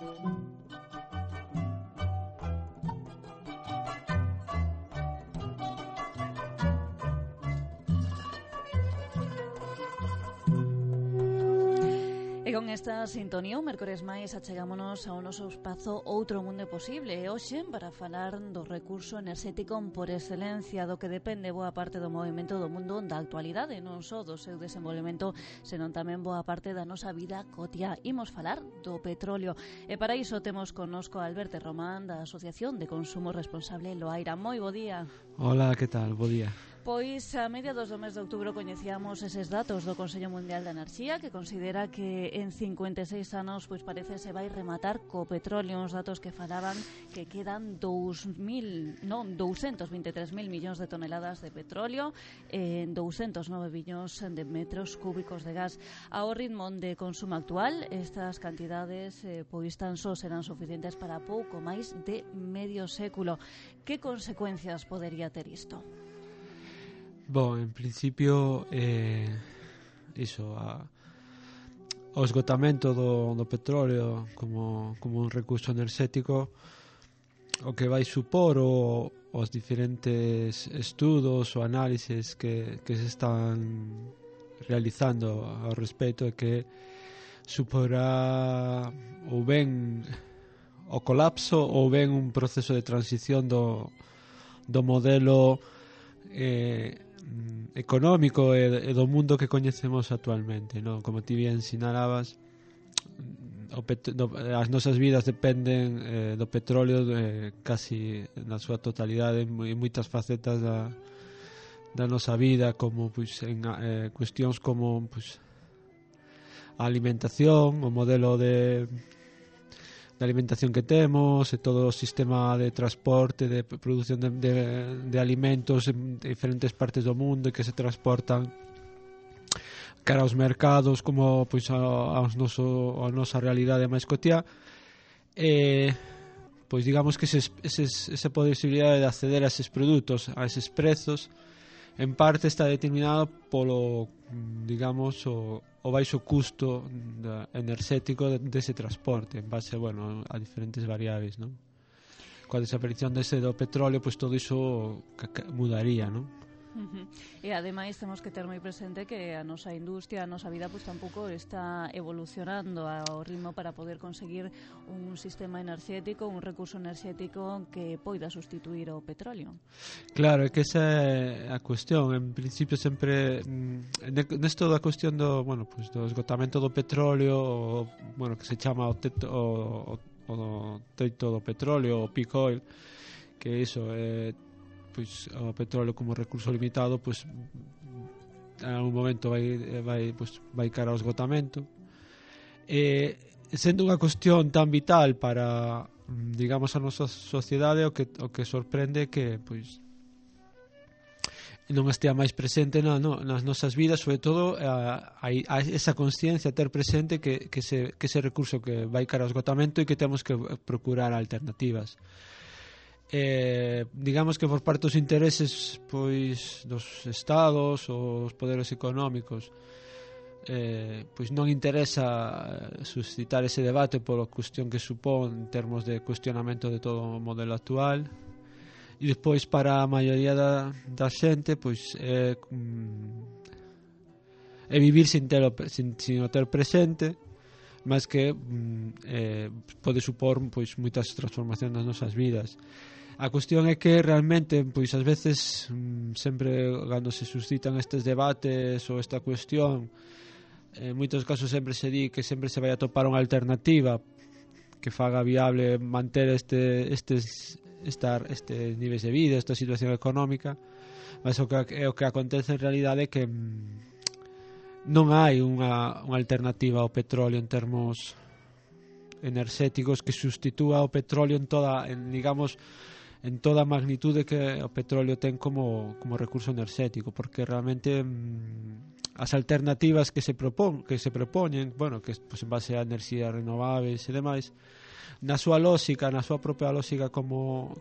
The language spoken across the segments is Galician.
E con esta sintonía, o mércores máis achegámonos ao noso espazo Outro Mundo Posible. E hoxe, para falar do recurso enerxético por excelencia, do que depende boa parte do movimento do mundo da actualidade, non só do seu desenvolvemento, senón tamén boa parte da nosa vida cotiá. Imos falar do petróleo. E para iso temos connosco a Alberto Román, da Asociación de Consumo Responsable Loaira. Moi bo día. Hola, que tal? Bo día. Pois a mediados do mes de outubro coñecíamos eses datos do Consello Mundial de Enerxía, que considera que en 56 anos pois parece se vai rematar co petróleo, uns datos que falaban que quedan 223.000 millóns de toneladas de petróleo en 209 billóns de metros cúbicos de gas. Ao ritmo de consumo actual, estas cantidades pois tan só serán suficientes para pouco máis de medio século. Que consecuencias podería ter isto? Bom, en principio o esgotamento do petróleo como un recurso enerxético, o que vai supor os diferentes estudos ou análises que se están realizando ao respecto é que suporá ou ben o colapso ou ben un proceso de transición do modelo económico e do mundo que coñecemos actualmente, non? Como ti bien sinalabas, as nosas vidas dependen do petróleo casi na súa totalidade en moitas facetas da nosa vida, como pois en cuestións como pois a alimentación, o modelo de alimentación que temos e todo o sistema de transporte, de produción de alimentos en diferentes partes do mundo e que se transportan cara aos mercados como pois a nosa realidade máis cotiá. Pois digamos que esa posibilidade de acceder a eses produtos, a eses prezos, en parte está determinado polo, digamos, o baixo custo enerxético dese transporte en base, bueno, a diferentes variables, non? Coa desaparición do petróleo, pois todo iso mudaría, non? E ademais temos que ter moi presente que a nosa industria, a nosa vida pois tampouco está evolucionando ao ritmo para poder conseguir un sistema enerxético, un recurso enerxético que poida sustituir o petróleo. Claro, é que esa é a cuestión. En principio sempre nesto da cuestión do, bueno, pues do esgotamento do petróleo, bueno, que se chama o teito do petróleo, o peak oil, que iso é pois o petróleo como recurso limitado, pois en algún momento vai cara ao esgotamento, e sendo unha cuestión tan vital para, digamos, a nosa sociedade, o que sorprende que pois non estea máis presente nas nosas vidas, sobre todo a esa consciencia, ter presente que ese recurso que vai cara ao esgotamento e que temos que procurar alternativas. Digamos que por parte dos intereses pois dos estados ou os poderes económicos, pois non interesa suscitar ese debate pola cuestión que supón en termos de cuestionamento de todo o modelo actual, e despois para a maioría da xente pois é vivir sin o ter presente, mas que pode supor pois moitas transformacións nas nosas vidas. A cuestión é que realmente pois ás veces sempre cando se suscitan estes debates ou esta cuestión, en moitos casos sempre se di que sempre se vai a topar unha alternativa que faga viable manter estes niveis de vida, esta situación económica, mas o que acontece en realidade é que non hai unha alternativa ao petróleo en termos enerxéticos que sustitúa o petróleo en toda a magnitude que o petróleo ten como recurso enerxético, porque realmente as alternativas que se propoñen, bueno, que pues, en base a enerxías renovables e demais, na súa lógica, na súa propia lógica como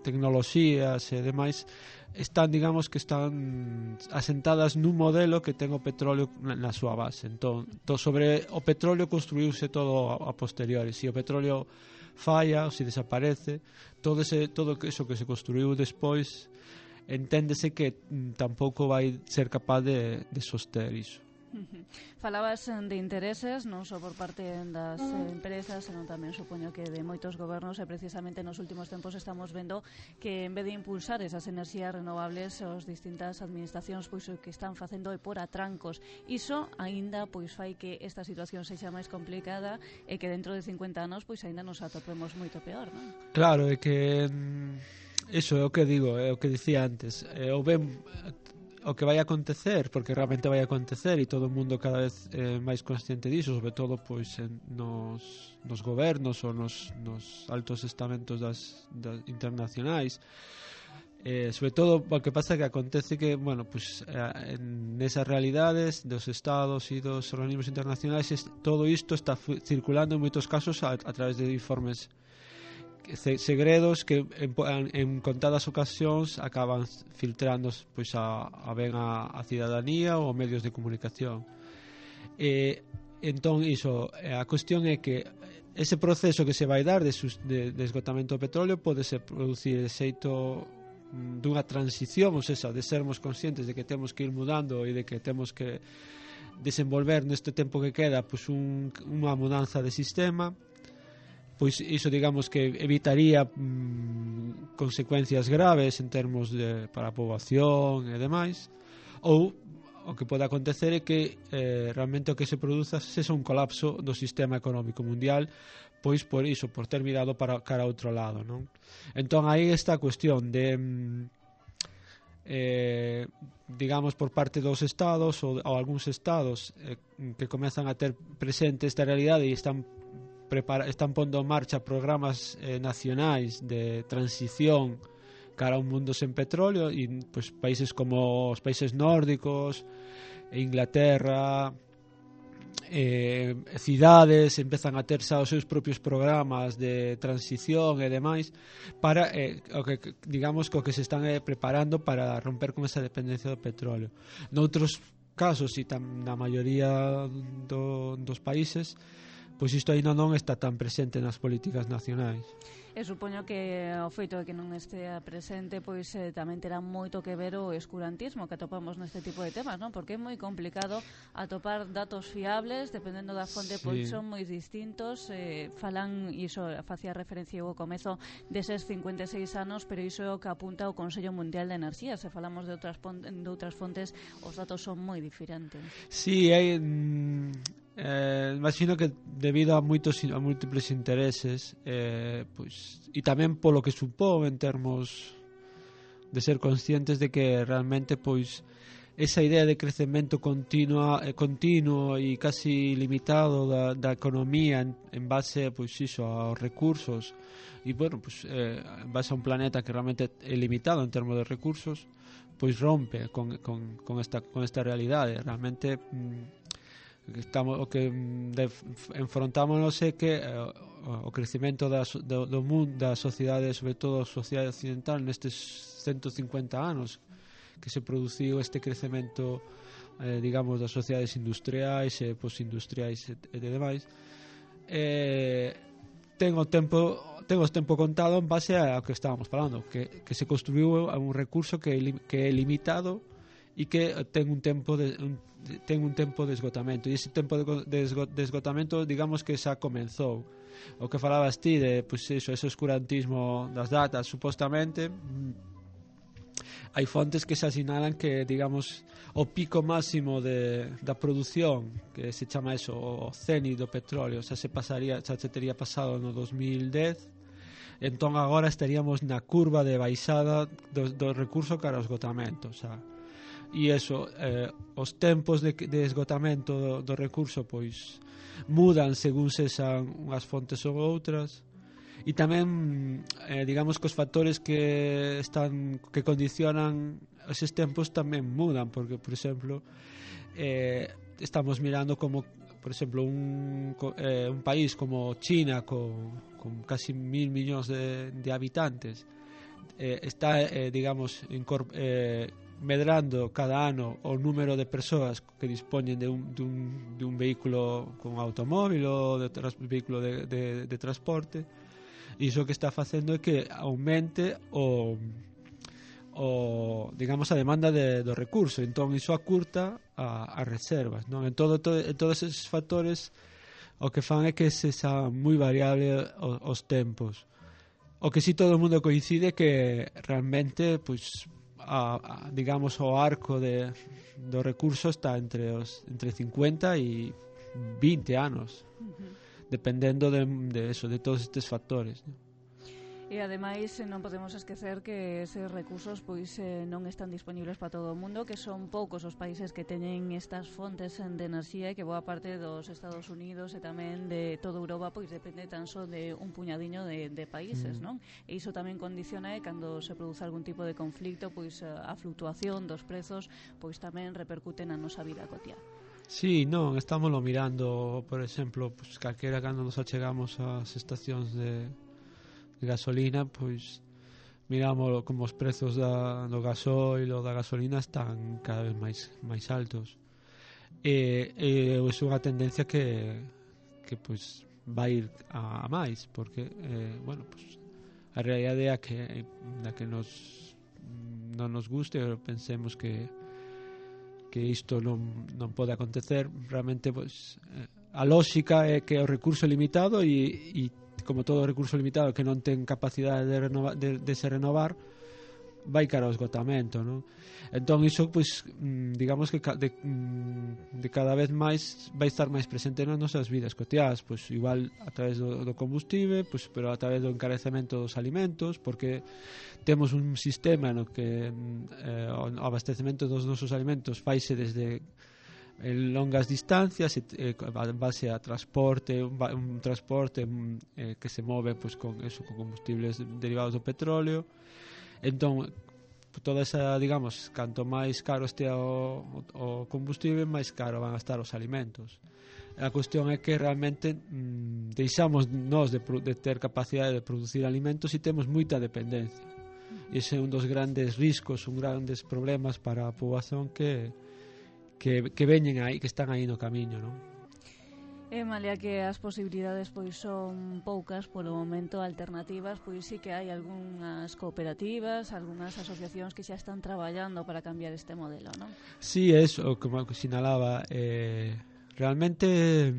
tecnoloxías e demais, están, digamos, que están asentadas nun modelo que ten o petróleo na súa base. Entón, sobre o petróleo construíuse todo a posteriori. Se o petróleo falla ou se desaparece, todo eso que se construiu despois, enténdese que tampouco vai ser capaz de soster iso. Falabas de intereses non só por parte das empresas, senón tamén supoño que de moitos gobernos, e precisamente nos últimos tempos estamos vendo que en vez de impulsar esas enerxías renovables, as distintas administracións pois o que están facendo é por atrancos. Iso aínda pois fai que esta situación sexa máis complicada e que dentro de 50 anos pois aínda nos atopemos moito peor, non? Claro, é que iso é o que digo, é o que dicía antes, o que vai acontecer, porque realmente vai acontecer e todo o mundo cada vez máis consciente diso, sobre todo pois nos gobernos ou nos altos estamentos das internacionais, sobre todo o que pasa que acontece que, bueno, pues nesas realidades dos estados e dos organismos internacionais, todo isto está circulando en moitos casos a través de informes segredos que en contadas ocasións acaban filtrando pois a cidadanía ou medios de comunicación. Entón iso, a cuestión é que ese proceso que se vai dar de esgotamento do petróleo pode se producir de xeito dunha transición, ou seja, de sermos conscientes de que temos que ir mudando e de que temos que desenvolver neste tempo que queda pois unha mudanza de sistema. Pois iso, digamos, que evitaría consecuencias graves en termos para a poboación e demais, ou o que pode acontecer é que realmente o que se produza sexa un colapso do sistema económico mundial, pois por iso, por ter mirado para cara a outro lado, non? Entón aí está a cuestión de digamos, por parte dos estados ou algúns estados que comezan a ter presente esta realidade e están pondo en marcha programas nacionais de transición cara a un mundo sen petróleo, e pues, países como os países nórdicos, Inglaterra, cidades empezan a ter xa os seus propios programas de transición e demais para digamos que o que se están preparando para romper con esa dependencia do petróleo. Noutros casos e na maioría dos países, pois isto ainda non está tan presente nas políticas nacionais. E supoño que o feito de que non estea presente pois tamén terá moito que ver o escurantismo que atopamos neste tipo de temas, non? Porque é moi complicado atopar datos fiables dependendo da fonte, pois son moi distintos, falan, iso facía referencia ao comezo deses 56 anos, pero iso é o que apunta o Consello Mundial de Enerxía. Se falamos de outras fontes, os datos son moi diferentes. Sí, hai imagino que debido a múltiples intereses, pois, e tamén polo que supón en termos de ser conscientes de que realmente pois esa idea de crecemento continuo e casi limitado da economía en base pois iso aos recursos e bueno, pois en base a un planeta que realmente é limitado en termos de recursos, pois rompe con esta realidade. Realmente o que enfrontámonos é que o crecemento do mundo, da sociedade, sobre todo a sociedade occidental, nestes 150 anos que se produciu este crecemento, digamos, das sociedades industriais e postindustriais e demais, ten o tempo contado en base ao que estábamos falando, que se construiu un recurso que é limitado e que ten un tempo de esgotamento, e ese tempo de esgotamento, digamos que xa comenzou. O que falabas ti de pois ese oscurantismo das datas, supostamente hai fontes que se asinalan que, digamos, o pico máximo da produción, que se chama eso, o cenit do petróleo, xa se tería pasado no 2010. Entón agora estaríamos na curva de baixada do recurso cara ao esgotamento, xa. E eso, os tempos de esgotamento do recurso pois mudan según sexan unhas fontes ou outras, e tamén digamos que os factores que condicionan eses tempos tamén mudan, porque por exemplo estamos mirando como por exemplo, un país como China con casi 1.000 millóns de habitantes está, digamos, medrando cada ano o número de persoas que dispoñen de un vehículo con automóvil ou de vehículo de transporte, e iso que está facendo é que aumente digamos a demanda do recurso, entón iso acurta as reservas, non? En todos esos factores o que fan é que se xa moi variable os tempos. O que si todo o mundo coincide que realmente pois digamos o arco do recurso está entre 50 e 20 anos, dependendo de todos estes factores, non? E ademais non podemos esquecer que eses recursos pois non están disponibles para todo o mundo, que son poucos os países que teñen estas fontes de enerxía, e que boa parte dos Estados Unidos e tamén de toda Europa pois depende tan só de un puñadiño de países, non? E iso tamén condiciona cando se produce algún tipo de conflicto, pois a fluctuación dos prezos pois tamén repercute na nosa vida cotiá. Sí, non, estámoslo mirando, por exemplo, pues, calquera cando nos achegamos ás estacións de gasolina, pois miramos como os prezos do gasoil ou da gasolina están cada vez máis altos, e é unha tendencia que pois vai ir a máis, porque bueno, pois a realidade é que non nos guste ou pensemos que isto non pode acontecer. Realmente pois a lógica é que o recurso é limitado e como todo recurso limitado que non ten capacidade de se renovar, vai cara ao esgotamento, non? Entón iso, pois, digamos que de cada vez máis vai estar máis presente nas nosas vidas cotiás, pois igual a través do combustible, pois, pero a través do encarecemento dos alimentos, porque temos un sistema no que o abastecemento dos nosos alimentos faise desde en longas distancias, en base a transporte, un transporte que se move pois, con combustibles derivados do petróleo. Entón, toda esa, digamos, canto máis caro estea o combustible, máis caro van a estar os alimentos. A cuestión é que realmente deixamos nós de ter capacidade de producir alimentos e temos moita dependencia. E ese é un dos grandes riscos, un grandes problemas para a poboación que veñen aí, que están aí no camiño, non? Malia que as posibilidades pois son poucas polo momento, alternativas, pois sí que hai algunhas cooperativas, algunhas asociacións que xa están traballando para cambiar este modelo, non? Sí, eso, como sinalaba, realmente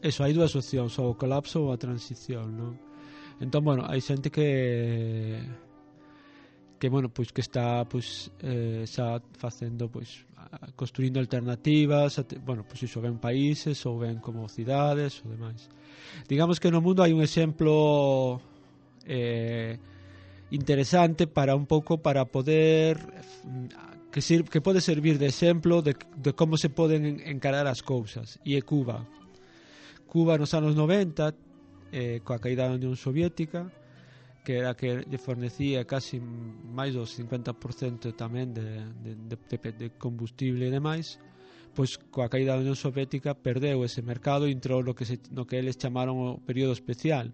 eso, hai dúas opcións, o colapso ou a transición, non? Entón, bueno, hai xente que bueno, pois que está pois xa facendo pois construindo alternativas, bueno, pois iso ven países ou ven como cidades ou demais. Digamos que no mundo hai un exemplo interesante para un pouco para poder que pode servir de exemplo de como se poden encarar as cousas, e é Cuba. Cuba nos anos 90, coa caída da Unión Soviética, que era que lle fornecía casi máis do 50% tamén de combustible e demais, pois coa caída da Unión Soviética perdeu ese mercado e entrou no que eles chamaron o período especial,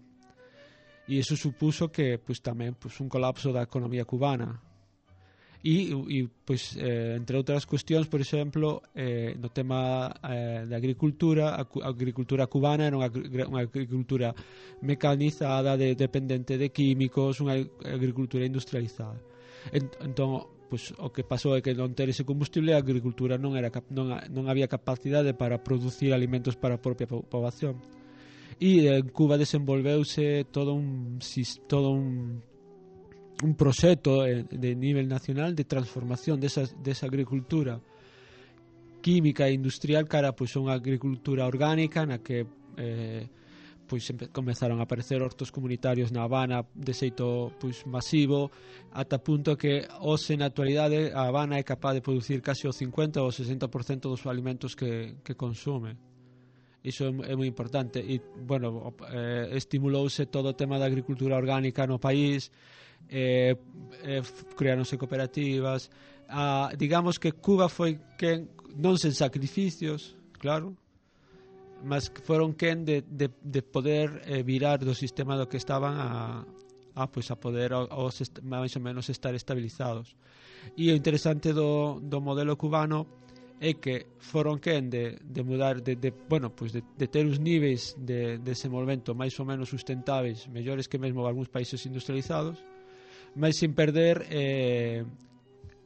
e iso supuso que pois tamén pois un colapso da economía cubana. E pois, entre outras cuestións, por exemplo, no tema da agricultura, a agricultura cubana era unha agricultura mecanizada, dependente de químicos, unha agricultura industrializada. Entón, pois, o que pasou é que non ter ese combustible, a agricultura non había capacidade para producir alimentos para a propia poboación. E en Cuba desenvolveuse todo un proxecto de nivel nacional de transformación desa agricultura química e industrial cara pois unha agricultura orgánica na que pois comezaron a aparecer hortos comunitarios na Habana de xeito pois masivo, ata punto que hoxe na actualidade a Habana é capaz de producir casi o 50 ou 60% dos alimentos que consume. Iso é moi importante e, bueno, estimulouse todo o tema da agricultura orgánica no país, creáronse cooperativas, digamos que Cuba foi quen, non sen sacrificios, claro, mas que foron quen de poder virar do sistema do que estaban a poder máis ou menos estar estabilizados. E o interesante do modelo cubano é que foron quen de mudar de ter os níveis de desenvolvemento máis ou menos sustentáveis, mellores que mesmo algúns países industrializados, mas sin perder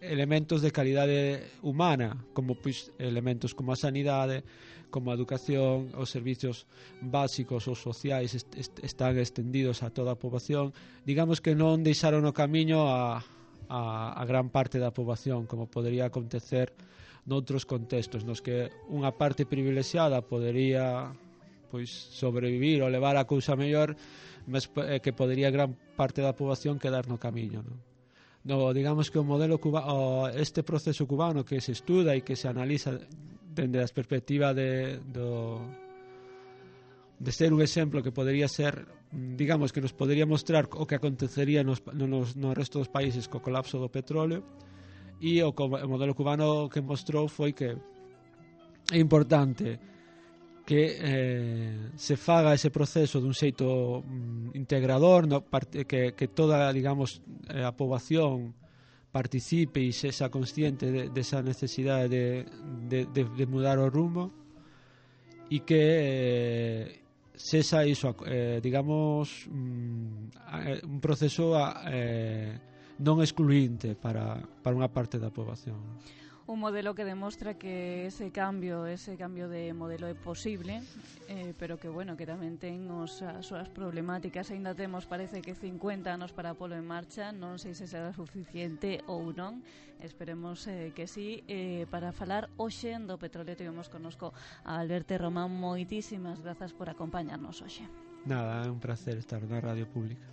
elementos de calidade humana, como elementos como a sanidade, como a educación, os servicios básicos ou sociais están extendidos a toda a poboación. Digamos que non deixaron o camiño a gran parte da poboación, como podería acontecer noutros contextos nos que unha parte privilexiada podería sobrevivir ou levar a cousa mellor, mas que podería gran parte da poboación quedar no camiño, non? Digamos que o modelo este proceso cubano que se estuda e que se analiza dende a perspectiva de ser un exemplo que podería ser, digamos, que nos podería mostrar o que acontecería no resto dos países co colapso do petróleo. E o modelo cubano que mostrou foi que é importante que se faga ese proceso dun xeito integrador, que toda, digamos, a poboación participe e sexa consciente desa necesidade de mudar o rumbo, e que sexa iso, digamos, un proceso non excluinte para unha parte da poboación. Un modelo que demostra que ese cambio de modelo é posible, pero que, bueno, que tamén ten as súas problemáticas. Ainda temos, parece que 50 anos para polo en marcha, non sei se será suficiente ou non, esperemos que sí. Para falar hoxe do petróleo tivemos connosco a Alberto Román. Moitísimas grazas por acompañarnos hoxe. Nada, é un placer estar na Radio Pública.